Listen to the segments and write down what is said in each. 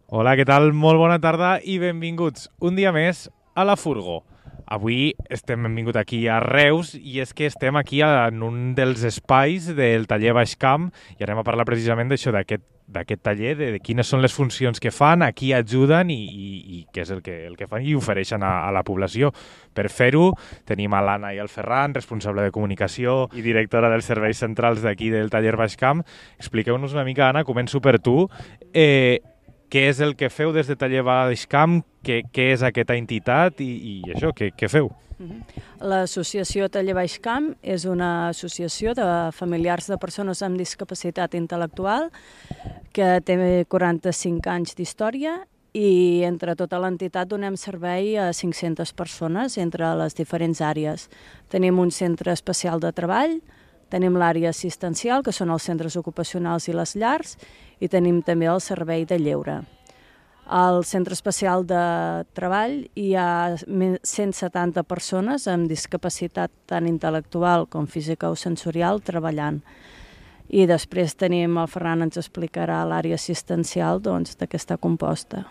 Hola, què tal? Molt bona tarda i benvinguts un dia més a la Furgo. Avui hem vingut aquí a Reus i és que estem aquí en un dels espais del taller Baixcamp i anem a parlar precisament d'això, d'aquest taller, de quines són les funcions que fan, a qui ajuden i què és el que fan i ofereixen a la població. Per fer-ho tenim a l'Anna i el Ferran, responsable de comunicació i directora dels serveis centrals d'aquí del taller Baixcamp. Expliqueu-nos una mica, Anna, començo per tu. Què és el que feu des de Taller Baixcamp, què és aquesta entitat i això, què feu? L'associació Taller Baixcamp és una associació de familiars de persones amb discapacitat intel·lectual que té 45 anys d'història i entre tota l'entitat donem servei a 500 persones entre les diferents àrees. Tenim un centre especial de treball, tenim l'àrea assistencial, que són els centres ocupacionals i les llars, i tenim també el servei de lleure. Al Centre Especial de Treball hi ha 170 persones amb discapacitat tant intel·lectual com física o sensorial treballant. I després tenim, el Ferran ens explicarà l'àrea assistencial de què està composta.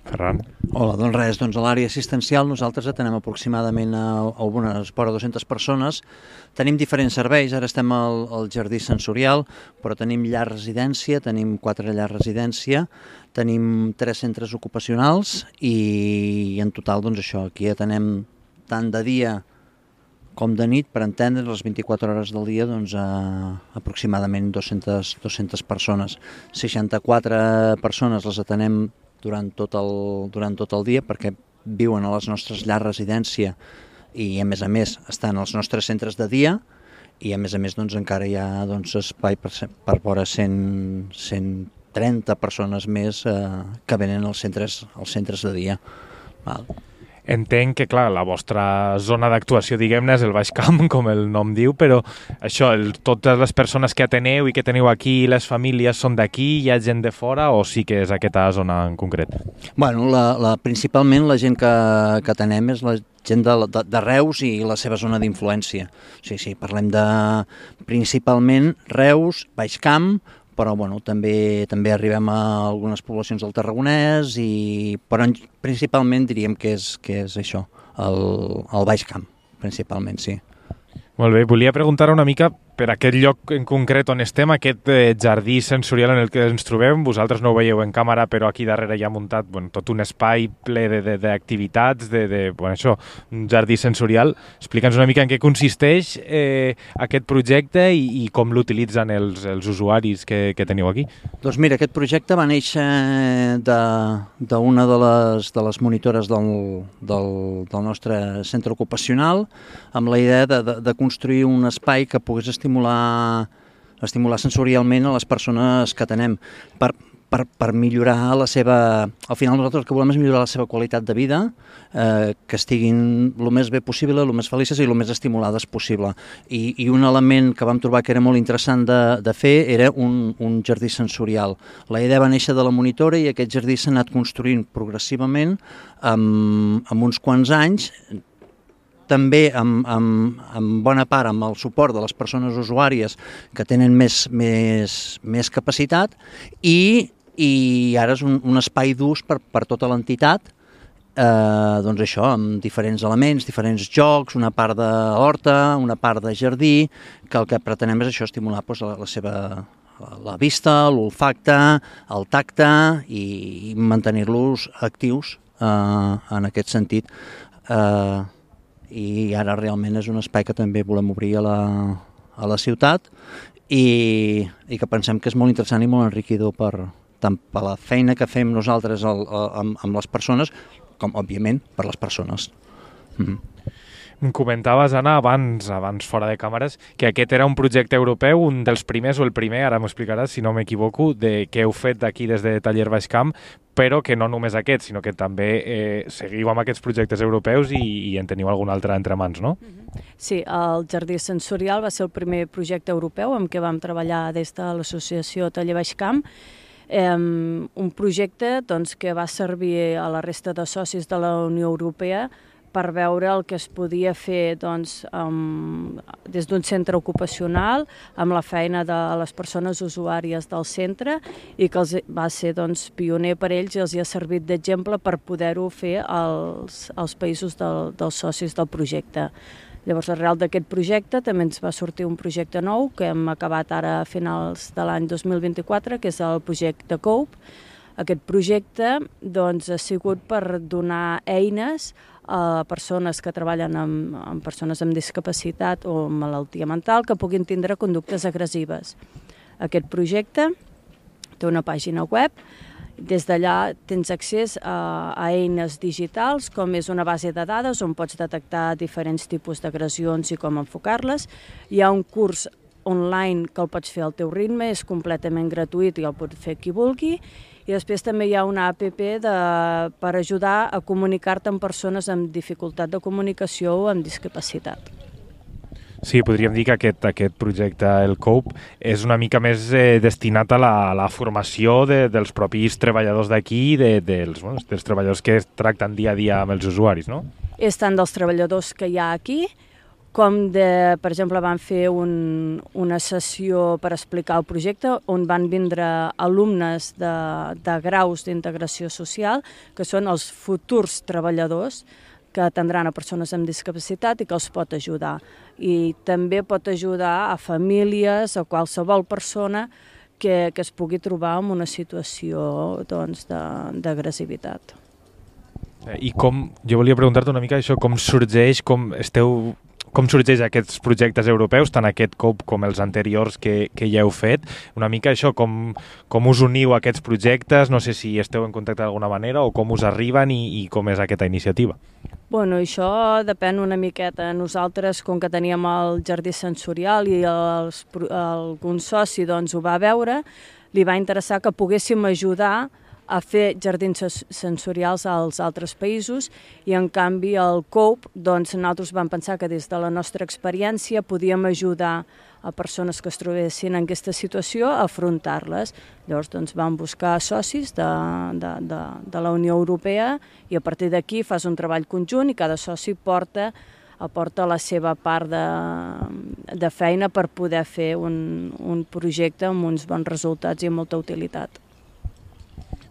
Ferran. Hola, doncs res, a l'àrea assistencial nosaltres atenem aproximadament a unes vora 200 persones. Tenim diferents serveis, ara estem al jardí sensorial, però tenim llar residència, tenim 4 llars residència, tenim 3 centres ocupacionals i en total, això, aquí atenem tant de dia com de nit, per entendre, les 24 hores del dia, aproximadament 200 persones. 64 persones les atenem durant tot el dia perquè viuen a les nostres llars residència i a més estan als nostres centres de dia i a més encara hi ha espai per vora 130 persones més que venen als centres de dia. Val. Entenc que, clar, la vostra zona d'actuació, diguem-ne, és el Baixcamp, com el nom diu, però això, totes les persones que ateneu i que teniu aquí, les famílies, són d'aquí, hi ha gent de fora o sí que és aquesta zona en concret? Bueno, principalment la gent que atenem és la gent de Reus i la seva zona d'influència. Sí, parlem de principalment Reus, Baixcamp, però també arribem a algunes poblacions del Tarragonès, però principalment diríem que és això, el Baixcamp, principalment, sí. Molt bé, volia preguntar una mica per aquest lloc en concret on estem, aquest jardí sensorial en el que ens trobem. Vosaltres no ho veieu en càmera, però aquí darrere hi ha muntat tot un espai ple d'activitats, això, un jardí sensorial. Explica'ns una mica en què consisteix aquest projecte i com l'utilitzen els usuaris que teniu aquí. Doncs mira, aquest projecte va néixer d'una de les monitores del nostre centre ocupacional amb la idea de construir un espai que pogués estimular sensorialment a les persones que atenem per millorar la seva... Al final nosaltres el que volem és millorar la seva qualitat de vida, que estiguin el més bé possible, el més felices i el més estimulades possible. I un element que vam trobar que era molt interessant de fer era un jardí sensorial. La idea va néixer de la monitora i aquest jardí s'ha anat construint progressivament amb uns quants anys, també en bona part amb el suport de les persones usuàries que tenen més capacitat i ara és un espai d'ús per tota l'entitat, això, amb diferents elements, diferents jocs, una part d'horta, una part de jardí, que el que pretenem és això, estimular la vista, l'olfacte, el tacte i mantenir-los actius en aquest sentit. I ara realment és un espai que també volem obrir a la ciutat i que pensem que és molt interessant i molt enriquidor tant per la feina que fem nosaltres amb les persones com, òbviament, per les persones. Em comentaves, Anna, abans fora de càmeres, que aquest era un projecte europeu, un dels primers o el primer, ara m'ho explicaràs si no m'equivoco, que heu fet d'aquí des de Taller Baixcamp, però que no només aquest, sinó que també seguiu amb aquests projectes europeus i en teniu algun altre entre mans, no? Sí, el Jardí Sensorial va ser el primer projecte europeu amb què vam treballar des de l'associació Taller Baixcamp, un projecte que va servir a la resta de socis de la Unió Europea per veure el que es podia fer doncs, des d'un centre ocupacional amb la feina de les persones usuàries del centre i que va ser doncs, pioner per ells i els ha servit d'exemple per poder-ho fer als països dels socis del projecte. Llavors, arrel d'aquest projecte també ens va sortir un projecte nou que hem acabat ara a finals de l'any 2024, que és el projecte COPE. Aquest projecte doncs, ha sigut per donar eines a persones que treballen amb persones amb discapacitat o malaltia mental que puguin tindre conductes agressives. Aquest projecte té una pàgina web. Des d'allà tens accés a eines digitals, com és una base de dades on pots detectar diferents tipus d'agressions i com enfocar-les. Hi ha un curs online que el pots fer al teu ritme, és completament gratuït i el pot fer qui vulgui. I després també hi ha una app per ajudar a comunicar-te amb persones amb dificultat de comunicació o amb discapacitat. Sí, podríem dir que aquest projecte, el COPE, és una mica més destinat a la formació dels propis treballadors d'aquí i dels treballadors que es tracten dia a dia amb els usuaris, no? És tant dels treballadors que hi ha aquí, com per exemple, van fer una sessió per explicar el projecte on van vindre alumnes de graus d'integració social, que són els futurs treballadors que atendran a persones amb discapacitat i que els pot ajudar. I també pot ajudar a famílies o qualsevol persona que es pugui trobar en una situació d'agressivitat. I jo volia preguntar-te una mica això, com sorgeix aquests projectes europeus, tant aquest COPE com els anteriors que ja heu fet? Una mica això, com us uniu a aquests projectes? No sé si esteu en contacte d'alguna manera o com us arriben i com és aquesta iniciativa. Bueno, això depèn una miqueta. Nosaltres, com que teníem el jardí sensorial i algun soci doncs, ho va veure, li va interessar que poguéssim ajudar a fer jardins sensorials als altres països i, en canvi, el COPE, doncs, nosaltres vam pensar que des de la nostra experiència podíem ajudar a persones que es trobessin en aquesta situació a afrontar-les. Llavors, doncs, vam buscar socis de la Unió Europea i a partir d'aquí fas un treball conjunt i cada soci aporta la seva part de feina per poder fer un projecte amb uns bons resultats i amb molta utilitat.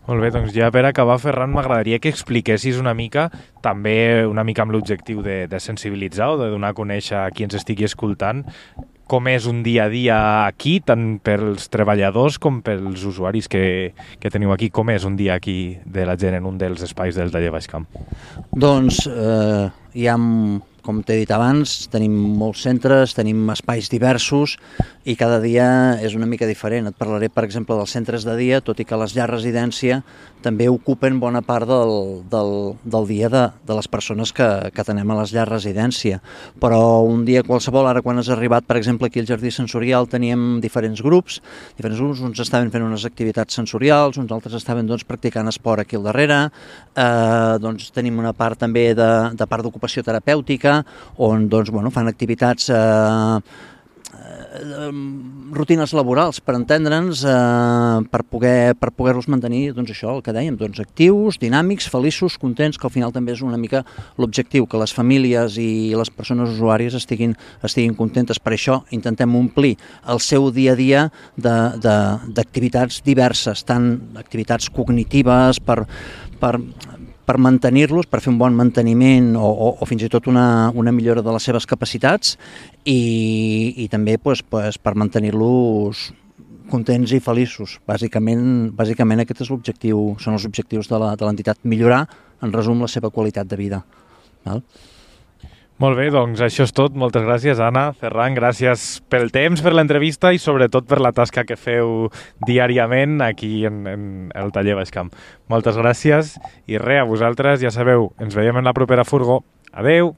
Molt bé, doncs ja per acabar, Ferran, m'agradaria que expliquessis una mica, també una mica amb l'objectiu de sensibilitzar o de donar a conèixer a qui ens estigui escoltant, com és un dia a dia aquí, tant pels treballadors com pels usuaris que teniu aquí. Com és un dia aquí de la gent en un dels espais del taller Baix Camp? Doncs hi ha, com t'he dit abans, tenim molts centres, tenim espais diversos i cada dia és una mica diferent. Et parlaré, per exemple, dels centres de dia, tot i que les llars residència també ocupen bona part del dia de les persones que tenem a les llars residència. Però un dia qualsevol, ara quan has arribat, per exemple, aquí al Jardí Sensorial teníem diferents grups, uns estaven fent unes activitats sensorials, uns altres estaven practicant esport aquí al darrere, tenim una part també de part d'ocupació terapèutica, on fan activitats rutines laborals, per entendre'ns, per poder-los mantenir, el que dèiem, actius, dinàmics, feliços, contents, que al final també és una mica l'objectiu, que les famílies i les persones usuàries estiguin contentes. Per això intentem omplir el seu dia a dia d'activitats diverses, tant activitats cognitives per mantenir-los, per fer un bon manteniment o fins i tot una millora de les seves capacitats i també per mantenir-los contents i feliços. Bàsicament aquest és l'objectiu, són els objectius de l'entitat, millorar, en resum, la seva qualitat de vida. Val? Molt bé, doncs això és tot. Moltes gràcies, Anna, Ferran, gràcies pel temps, per l'entrevista i sobretot per la tasca que feu diàriament aquí en el taller Baix Camp. Moltes gràcies i res, a vosaltres, ja sabeu, ens veiem en la propera furgo. Adeu!